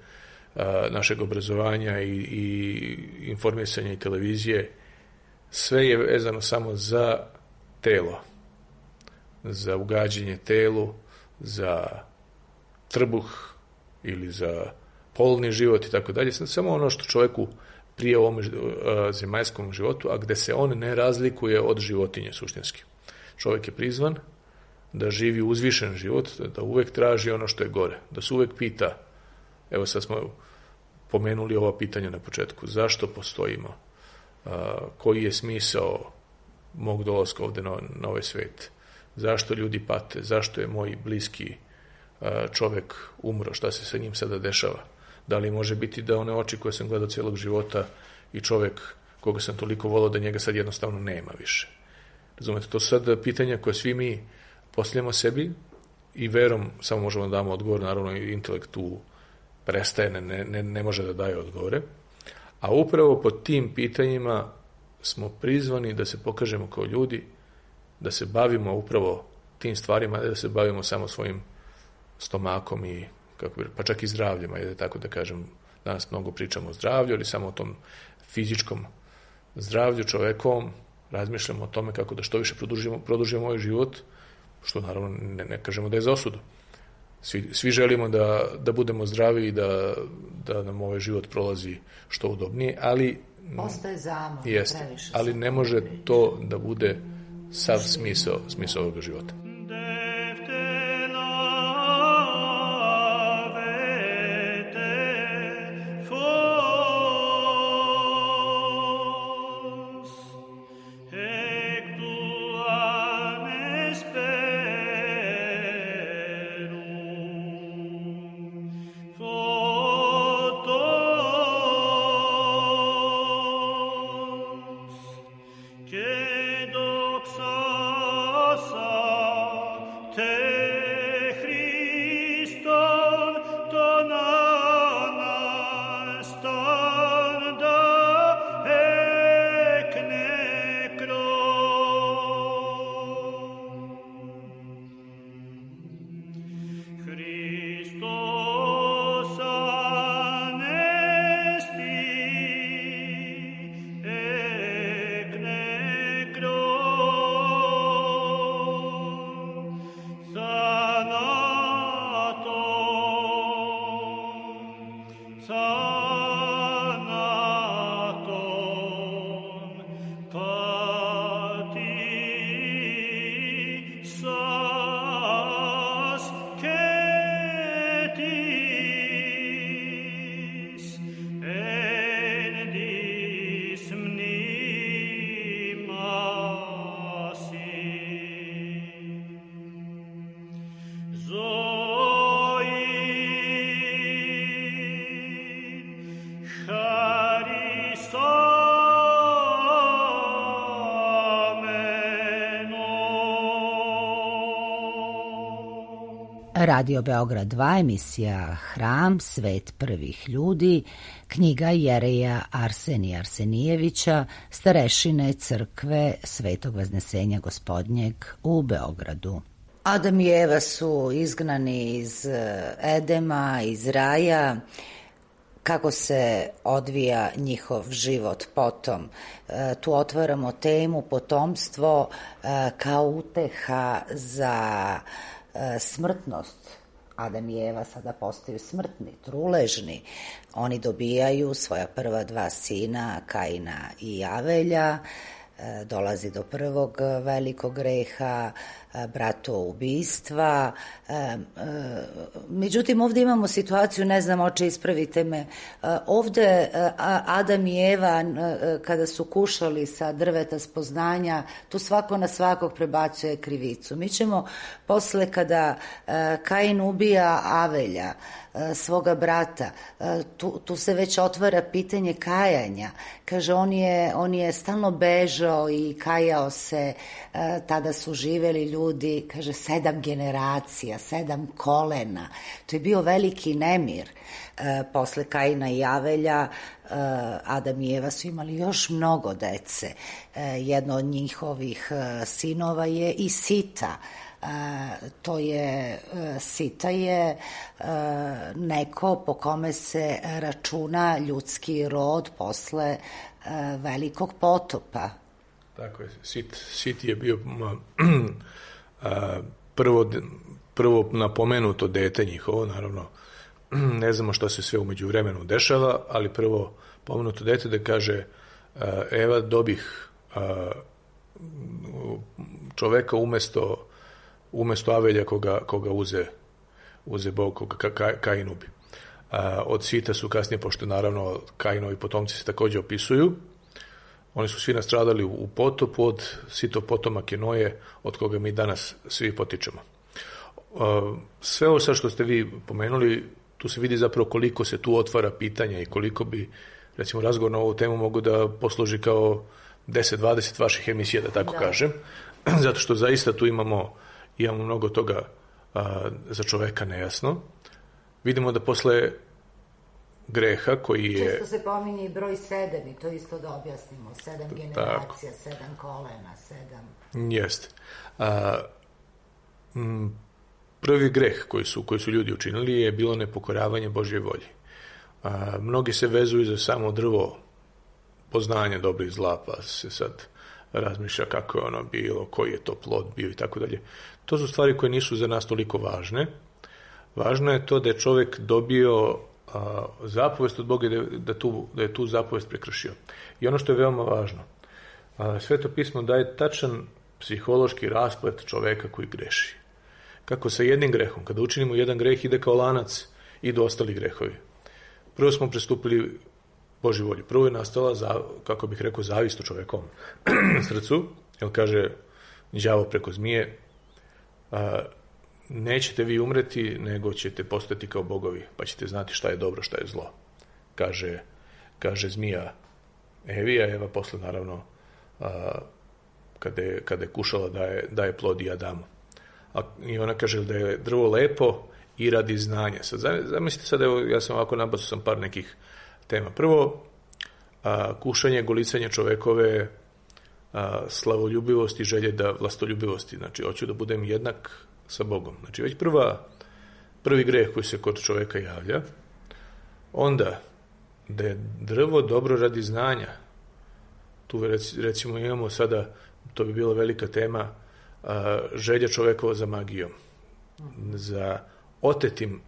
a, našeg obrazovanja i, i informisanja i televizije, sve je vezano samo za telo, za ugađanje telu, za trbuh ili za polni život i tako dalje. Samo ono što čovjeku prije ovom zemaljskom životu, a gde se on ne razlikuje od životinje suštinski. Čovjek je prizvan da živi uzvišen život, da uvek traži ono što je gore, da se uvek pita, evo sad smo pomenuli ova pitanja na početku, zašto postojimo, koji je smisao mog dolaska ovde na, na ovaj svet, zašto ljudi pate, zašto je moj bliski čovek umro, šta se sa njim sada dešava, da li može biti da one oči koje sam gledao cijelog života i čovek koga sam toliko volao da njega sad jednostavno nema više. Razumete, to su sad pitanja koje svi mi postavljamo sebi i verom samo možemo da damo odgovor, naravno i intelekt tu prestaje, ne, ne, ne može da daje odgovore, a upravo pod tim pitanjima smo prizvani da se pokažemo kao ljudi, da se bavimo upravo tim stvarima, da se bavimo samo svojim stomakom i kako bi, pa čak i zdravljem, ajde tako da kažem, danas mnogo pričamo o zdravlju, ali samo o tom fizičkom zdravlju čovekovom, razmišljamo o tome kako da što više produžimo, produžimo ovaj život, što naravno ne, ne kažemo da je za osudu. Svi, svi želimo da, da budemo zdravi i da, da nam ovaj život prolazi što udobnije, ali ostaje zamor, jeste, ali ne može to da bude sav smisao, smisao ovoga života. Radio Beograd dva, emisija Hram, svet prvih ljudi, knjiga Jereja Arsenija Arsenijevića, starešine crkve Svetog Vaznesenja Gospodnjeg u Beogradu. Adam i Eva su izgnani iz Edema, iz raja. Kako se odvija njihov život potom? E, tu otvaramo temu potomstvo e, kao uteha za e, smrtnost. Adam i Eva sada postaju smrtni, truležni. Oni dobijaju svoja prva dva sina, Kaina i Avelja. E, dolazi do prvog velikog greha, bratoubistva. E, e, međutim, ovdje imamo situaciju, ne znam, oče, ispravite me, e, ovdje e, Adam i Eva, e, kada su kušali sa drveta spoznanja, tu svako na svakog prebacuje krivicu. Mi ćemo posle, kada e, Kain ubija Avelja, e, svoga brata, e, tu, tu se već otvara pitanje kajanja. Kaže, on je, on je stalno bežao i kajao se, e, tada su živeli ljudi, kaže, sedam generacija, sedam kolena. To je bio veliki nemir. E, posle Kaina i Avelja, e, Adam i Eva su imali još mnogo dece. E, jedno od njihovih e, sinova je i Sita. E, to je, e, Sita je e, neko po kome se računa ljudski rod posle e, velikog potopa. Tako je, Sit, Sit je bio a, prvo, prvo napomenuto dete njihovo, naravno, ne znamo što se sve umeđu vremenu dešava, ali prvo pomenuto dete da kaže a, Eva dobih a, čoveka umesto, umesto Avelja koga, koga uze, uze Bog, koga ka, ka, Kain ubi. A, od Sita su kasnije, pošto naravno Kainovi potomci se također opisuju, oni su svi nastradali u potopu od Sitov potomak je Noje, od koga mi danas svi potičemo. Sve ovo sad što ste vi pomenuli, tu se vidi zapravo koliko se tu otvara pitanja i koliko bi, recimo, razgovor na ovu temu mogu da posluži kao deset dvadeset vaših emisija, da tako da. kažem, zato što zaista tu imamo, imamo mnogo toga a, za čoveka nejasno. Vidimo da posle greha koji je... Često se pominje i broj sedam i to isto da objasnimo. Sedam generacija, tako. sedam kolena, sedam... Jeste. A, m, prvi greh koji su, koji su ljudi učinili je bilo nepokoravanje Božje volji. A, mnogi se vezuju za samo drvo poznanja dobro i zla, pa se sad razmišlja kako je ono bilo, koji je to plod bio i tako dalje. To su stvari koje nisu za nas toliko važne. Važno je to da je čovjek dobio a, zapovest od Boga da, da, tu, da je tu zapovest prekršio. I ono što je veoma važno, a, Sveto pismo daje tačan psihološki rasplet čoveka koji greši. Kako sa jednim grehom, kada učinimo jedan greh, ide kao lanac, idu ostali grehovi. Prvo smo prestupili Božji volji. Prvo je nastala, za, kako bih rekao, zavist u čovekovom srcu, jer kaže đavo preko zmije, a, nećete vi umreti, nego ćete postati kao bogovi, pa ćete znati šta je dobro, šta je zlo. Kaže, kaže zmija Evi, a Eva posle, naravno, a, kada, je, kada je kušala da je, da je plod i Adamu. A, I ona kaže da je drvo lepo i radi znanja. Sad, zamislite sad, evo, ja sam ovako nabacao sam par nekih tema. Prvo, a, kušanje, golicanje čovekove a, slavoljubivosti, želje da vlastoljubivosti. Znači, hoću da budem jednak sa Bogom. Znači, već prva, prvi greh koji se kod čoveka javlja. Onda, da je drvo dobro radi znanja. Tu recimo imamo sada, to bi bila velika tema, a, želja čovekova za magijom, za otetim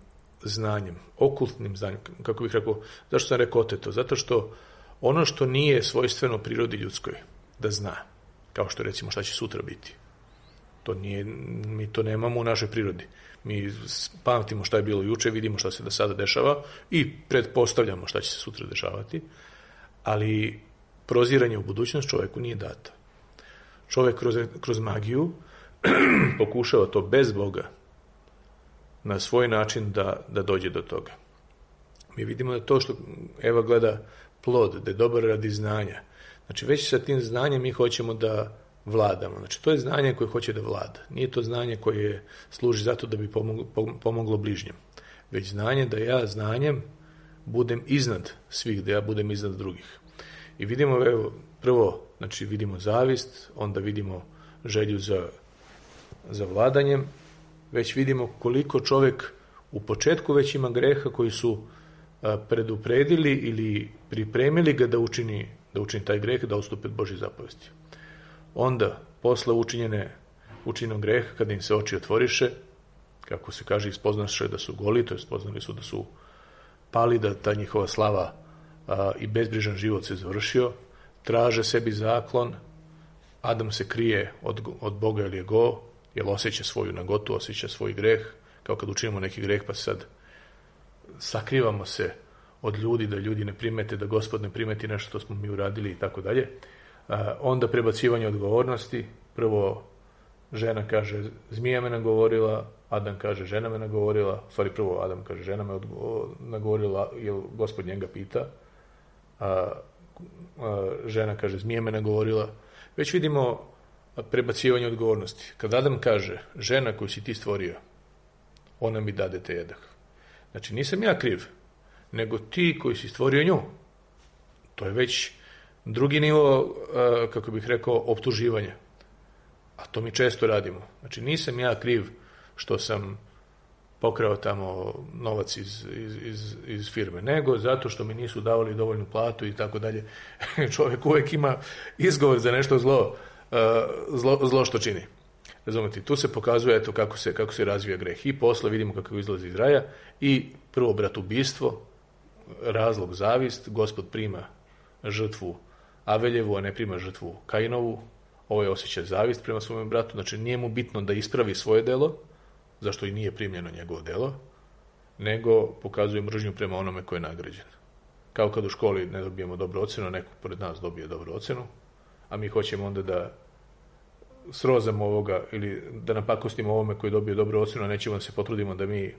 znanjem, okultnim znanjem, kako bih rekao. Zašto sam rekao oteto? Zato što ono što nije svojstveno prirodi ljudskoj, da zna, kao što recimo šta će sutra biti. To nije, mi to nemamo u našoj prirodi. Mi pamtimo šta je bilo juče, vidimo šta se da sada dešava i pretpostavljamo šta će se sutra dešavati, ali proziranje u budućnost čoveku nije dato. Čovek kroz, kroz magiju pokušava to bez Boga na svoj način da, da dođe do toga. Mi vidimo da to što Eva gleda plod, da je dobar radi znanja. Znači već sa tim znanjem mi hoćemo da vladamo. Znači, to je znanje koje hoće da vlada. Nije to znanje koje služi zato da bi pomoglo, pomoglo bližnjem. Već znanje da ja znanjem budem iznad svih, da ja budem iznad drugih. I vidimo, evo, prvo, znači vidimo zavist, onda vidimo želju za, za vladanjem, već vidimo koliko čovjek u početku već ima greha koji su a, predupredili ili pripremili ga da učini, da učini taj greh, da odstupe od Božje zapovesti. Onda, posle učinjene, učinjenog greha, kada im se oči otvoriše, kako se kaže, ispoznaše da su goli, to je spoznali su da su pali, da ta njihova slava a, i bezbrižan život se završio, traže sebi zaklon, Adam se krije od, od Boga ili je go, jer osjeća svoju nagotu, osjeća svoj greh, kao kad učinimo neki greh pa sad sakrivamo se od ljudi, da ljudi ne primete, da Gospod ne primeti nešto što smo mi uradili i tako dalje. Onda prebacivanje odgovornosti, prvo žena kaže zmija me nagovorila, Adam kaže žena me nagovorila, u stvari prvo Adam kaže žena me nagovorila, jer Gospod njega pita, a, a žena kaže zmija me nagovorila. Već vidimo prebacivanje odgovornosti. Kad Adam kaže žena koju si ti stvorio, ona mi dade te jedah. Znači nisam ja kriv, nego ti koji si stvorio nju. To je već drugi nivo, kako bih rekao, optuživanja. A to mi često radimo. Znači nisam ja kriv što sam pokrao tamo novac iz, iz, iz, iz firme, nego zato što mi nisu davali dovoljnu platu i tako dalje. Čovjek uvijek ima izgovor za nešto zlo, zlo, zlo što čini. Razumete, tu se pokazuje eto kako se, kako se razvija greh. I posle vidimo kako izlazi iz raja i prvo bratoubistvo, razlog zavist, Gospod prima žrtvu Aveljevu, a ne prima žrtvu Kainovu. Ovo je osjećaj zavist prema svom bratu, znači nije mu bitno da ispravi svoje delo, zašto i nije primljeno njegovo delo, nego pokazuje mržnju prema onome koji je nagrađen. Kao kad u školi ne dobijemo dobru ocenu, neko pored nas dobije dobru ocenu, a mi hoćemo onda da srozamo ovoga ili da napakostimo ovome koji dobije dobru ocenu, a nećemo da se potrudimo da mi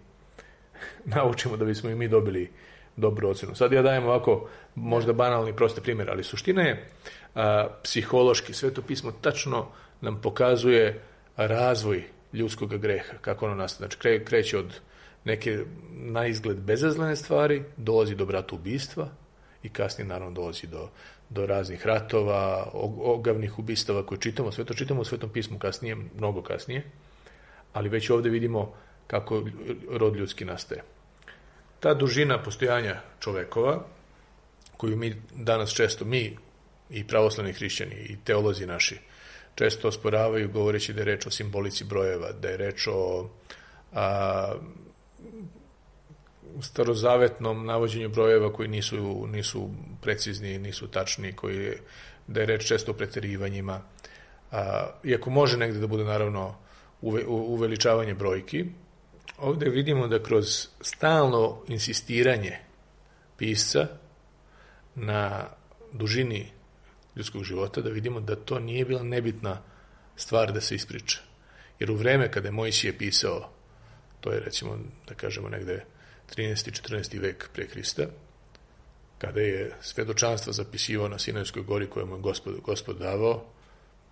naučimo da bismo i mi dobili dobru ocenu. Sad ja dajem ovako možda banalni prosti primjer, ali suština je a, psihološki. Sveto pismo tačno nam pokazuje razvoj ljudskog greha, kako ono nastaje. Znači kre, kreće od neke na izgled bezazlene stvari, dolazi do bratoubistva i kasnije naravno dolazi do, do raznih ratova, ogavnih ubistava koje čitamo. Sve to čitamo u Svetom pismu kasnije, mnogo kasnije, ali već ovdje vidimo kako rod ljudski nastaje. Ta dužina postojanja čovekova, koju mi danas često, mi i pravoslavni hrišćani i teolozi naši, često osporavaju govoreći da je reč o simbolici brojeva, da je reč o a, starozavetnom navođenju brojeva koji nisu, nisu precizni, nisu tačni, koji, da je reč često o preterivanjima. A, iako može negde da bude naravno uve, uveličavanje brojki, ovdje vidimo da kroz stalno insistiranje pisca na dužini ljudskog života, da vidimo da to nije bila nebitna stvar da se ispriča. Jer u vreme kada je Mojsije pisao, to je recimo, da kažemo negde trinaesti četrnaesti vek pre Hrista, kada je svedočanstvo zapisivao na Sinajskoj gori koje mu je Gospod, Gospod davao,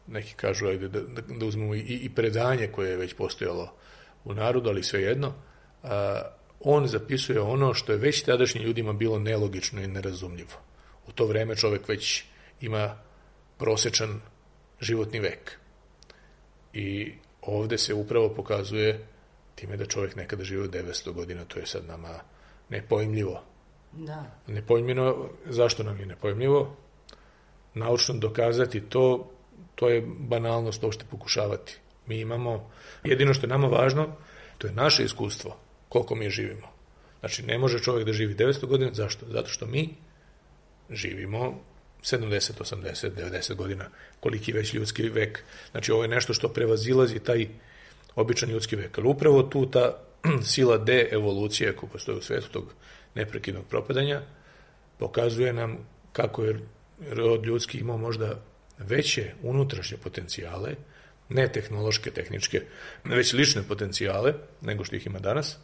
neki kažu ajde, da, da, da uzmemo i, i predanje koje je već postojalo u narodu, ali svejedno, a, on zapisuje ono što je već tadašnjim ljudima bilo nelogično i nerazumljivo. U to vreme čovjek već ima prosečan životni vek. I ovdje se upravo pokazuje time da čovjek nekada živio devetsto godina, to je sad nama nepojmljivo. Da. Nepojmljivo, zašto nam je nepojmljivo? Naučno dokazati to, to je banalnost uopšte pokušavati. Mi imamo, jedino što je nama važno, to je naše iskustvo, koliko mi živimo. Znači, ne može čovjek da živi devetsto godina, zašto? Zato što mi živimo sedamdeset, osamdeset, devedeset godina, koliki već ljudski vek. Znači, ovo je nešto što prevazilazi taj običan ljudski vek. Ali upravo tu ta sila de-evolucije koja postoji u svetu tog neprekidnog propadanja pokazuje nam kako je rod ljudski imao možda veće unutrašnje potencijale, ne tehnološke, tehničke, već lične potencijale nego što ih ima danas,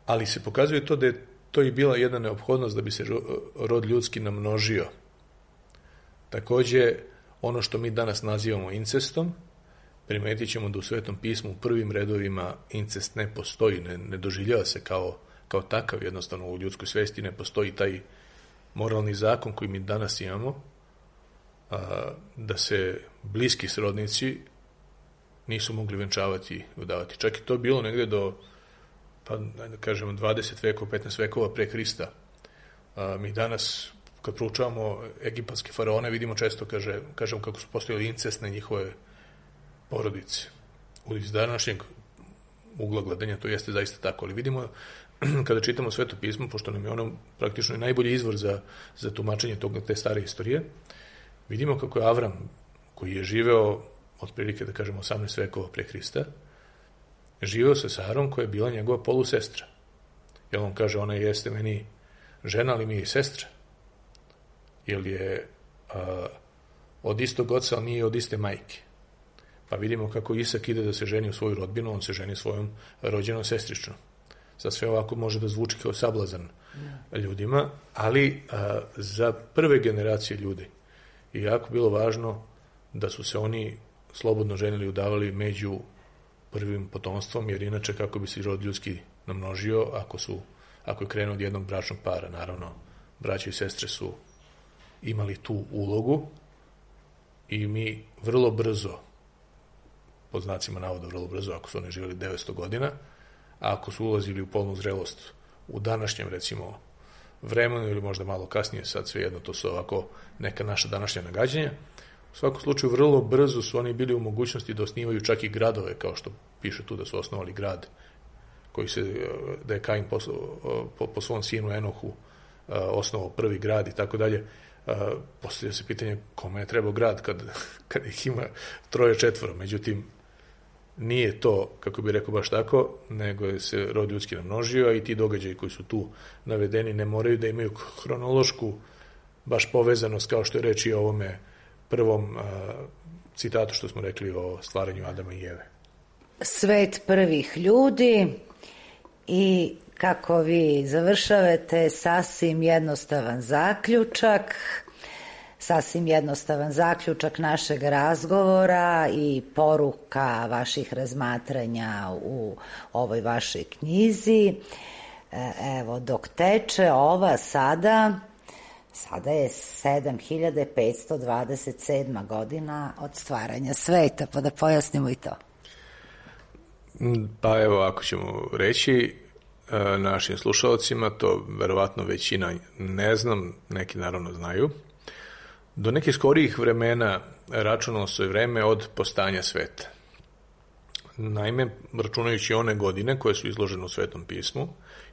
ali se pokazuje to da je to i bila jedna neophodnost da bi se rod ljudski namnožio. Također, ono što mi danas nazivamo incestom, primetit ćemo da u Svetom pismu u prvim redovima incest ne postoji, ne, ne doživljava se kao, kao takav, jednostavno u ljudskoj svesti ne postoji taj moralni zakon koji mi danas imamo, a, da se bliski srodnici nisu mogli venčavati i udavati. Čak i to bilo negde do, pa da kažemo, dvadeset vekova, petnaest vekova pre Hrista. A, mi danas, kad proučavamo egipatske faraone, vidimo često, kaže, kažemo kako su postojali incestne njihove porodice. Iz današnjeg ugla gledanja to jeste zaista tako, ali vidimo kada čitamo Sveto pismo, pošto nam je ono praktično i najbolji izvor za, za tumačenje tog, te stare istorije, vidimo kako je Avram, koji je živeo otprilike, da kažemo, osamnaest vekova pre Hrista, živeo sa Sarom koja je bila njegova polusestra. Jer on kaže, ona jeste meni žena, ali mi je i sestra. Jer je a, od istog oca, ali nije od iste majke. Pa vidimo kako Isak ide da se ženi u svoju rodbinu, on se ženi svojom rođenom sestričnom. Sad sve ovako može da zvuči kao sablazan ljudima, ali a, za prve generacije ljudi je jako bilo važno da su se oni slobodno ženili i udavali među prvim potomstvom, jer inače kako bi se rod ljudski namnožio ako, su, ako je krenuo od jednog bračnog para. Naravno, braće i sestre su imali tu ulogu i mi vrlo brzo, pod znacima navoda vrlo brzo, ako su oni živjeli devetsto godina, a ako su ulazili u polnu zrelost u današnjem, recimo, vremenu ili možda malo kasnije, sad svejedno, to su ovako neka naša današnja nagađanja, u svakom slučaju vrlo brzo su oni bili u mogućnosti da osnivaju čak i gradove, kao što piše tu da su osnovali grad koji se, da je Kain po, po, po svom sinu Enohu osnovao prvi grad i tako dalje. Postavlja se pitanje kome je trebao grad kad, kad ih ima troje četvoro. Međutim, nije to, kako bi rekao, baš tako, nego je se rod ljudski namnožio, a i ti događaji koji su tu navedeni ne moraju da imaju hronološku baš povezanost, kao što je reč i o ovome prvom a, citatu što smo rekli o stvaranju Adama i Eve. Svet prvih ljudi i kako vi završavate, sasvim jednostavan zaključak, sasvim jednostavan zaključak našeg razgovora i poruka vaših razmatranja u ovoj vašoj knjizi. Evo, dok teče ova sada, sada je sedam hiljada petsto dvadeset sedma godina od stvaranja sveta, pa da pojasnimo i to. Pa evo, ako ćemo reći našim slušalcima, to verovatno većina ne znam, neki naravno znaju. Do nekih skorijih vremena računalo se vreme od postanja sveta. Naime, računajući one godine koje su izložene u Svetom pismu,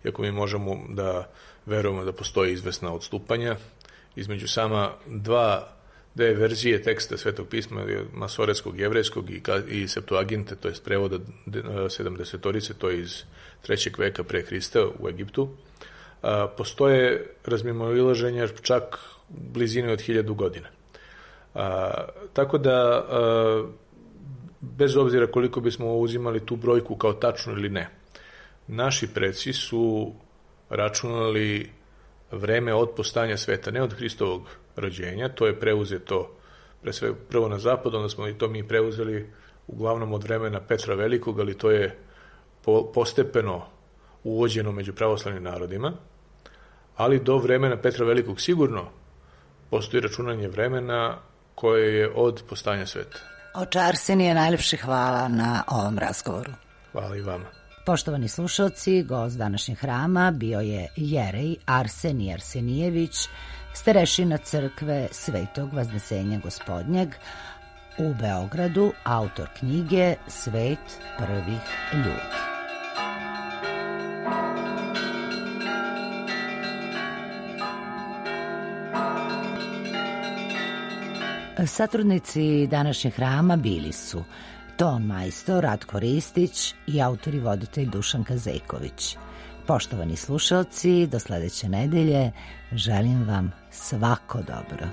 iako mi možemo da verujemo da postoje izvesna odstupanja između sama dva dve verzije teksta Svetog pisma, masoretskog, jevrejskog i, i Septuaginte, to je prevoda sedamdesetorice, to je iz trećeg veka pre Hrista u Egiptu, a, postoje razmimoilaženja čak blizine od hiljadu godina. A, tako da, a, bez obzira koliko bismo uzimali tu brojku kao tačnu ili ne, naši preci su računali vreme od postanja sveta, ne od Hristovog rođenja, to je preuzeto pre sve prvo na zapadu, onda smo i to mi preuzeli uglavnom od vremena Petra Velikog, ali to je po, postepeno uvođeno među pravoslavnim narodima, ali do vremena Petra Velikog sigurno postoji računanje vremena koje je od postanja sveta. Oče Arsenije, najlepše hvala na ovom razgovoru. Hvala i vama. Poštovani slušalci, gost današnjeg hrama bio je jerej Arsenije Arsenijević, starešina crkve Svetog Vaznesenja Gospodnjeg u Beogradu, autor knjige Svet prvih ljudi. Satrudnici današnjeg hrama bili su ton majstor Ratko Ristić i autor i voditelj Dušan Kazejković. Poštovani slušalci, do sledeće nedelje želim vam svako dobro.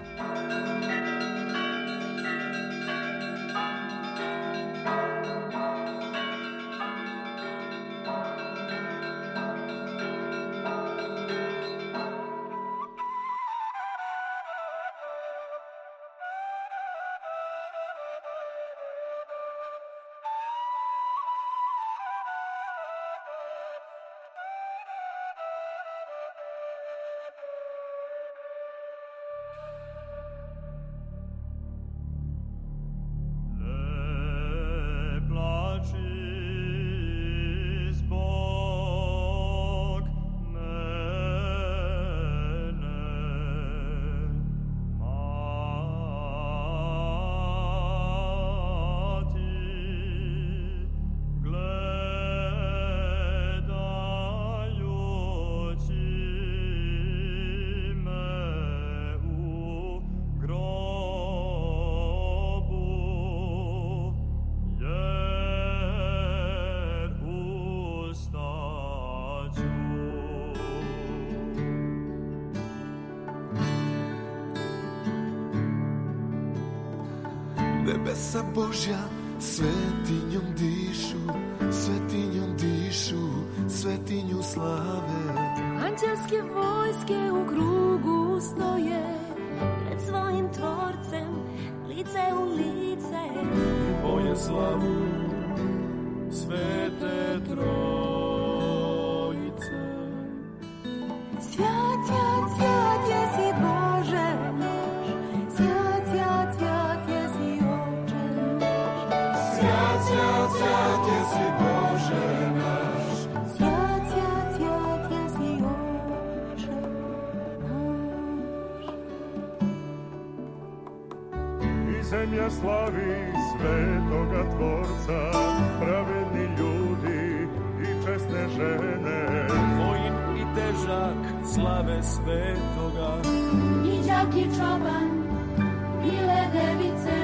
Nebesa Božja svetinjom dišu, svetinjom dišu, svetinju slave. Anđelske vojske u krugu stoje, pred svojim tvorcem, lice u lice. I boje slavu Svete Trojice. Svjat, svjat, svjat jesi Bože naš, svjat, svjat, svjat jesi Oče naš. Svjat, svjat, svjat jesi Bože naš. Svjat, svjat, svjat jesi Oče naš. I zemlja slavi Svetoga Tvorca, pravedni ljudi i česne žene. Vojin i težak slave Svetoga, I đak i čoban, bile device,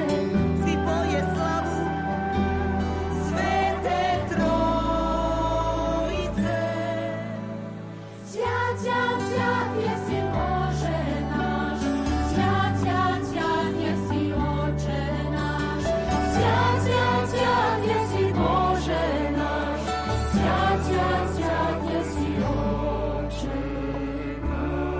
svi boje slavu Svete Trojice. Svjat, svjat, svjat jesi Bože naš, svjat, svjat, svjat jesi Oče naš. Svjat, svjat, svjat jesi Bože naš, svjat, svjat, svjat jesi Oče naš.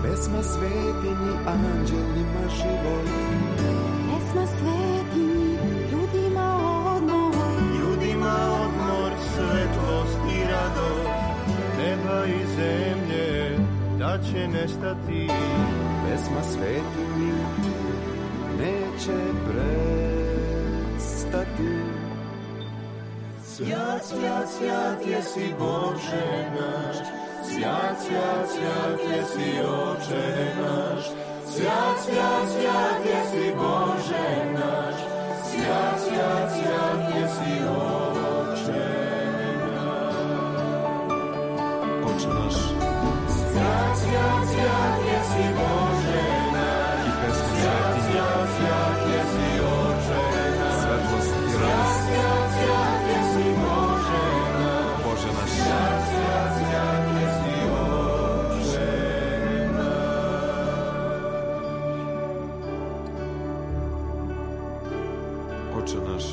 Pesma svetinji anđelima život, Pesma svetinji, ljudima odmor, ljudima odmor, svetlost i radost, neba i zemlje da će nestati. pesma svetinji neće prestati. Svjat, svjat, svjat jesi Bože naš, svjat, svjat, svjat jesi Oče naš. Svjat, svjat, svjat jesi Bože naš, svjat, svjat, svjat jesi Oče naš. Oče naš, Svjat, svjat, svjat jesi Bože naš, i pesma svjat, svjat, svjat jesi Oče naš. svetlost i Svjat, radost, svjat, svjat jesi Bože naš, Bože naš, svjat, svjat, svjat jesi Oče naš. Oče naš,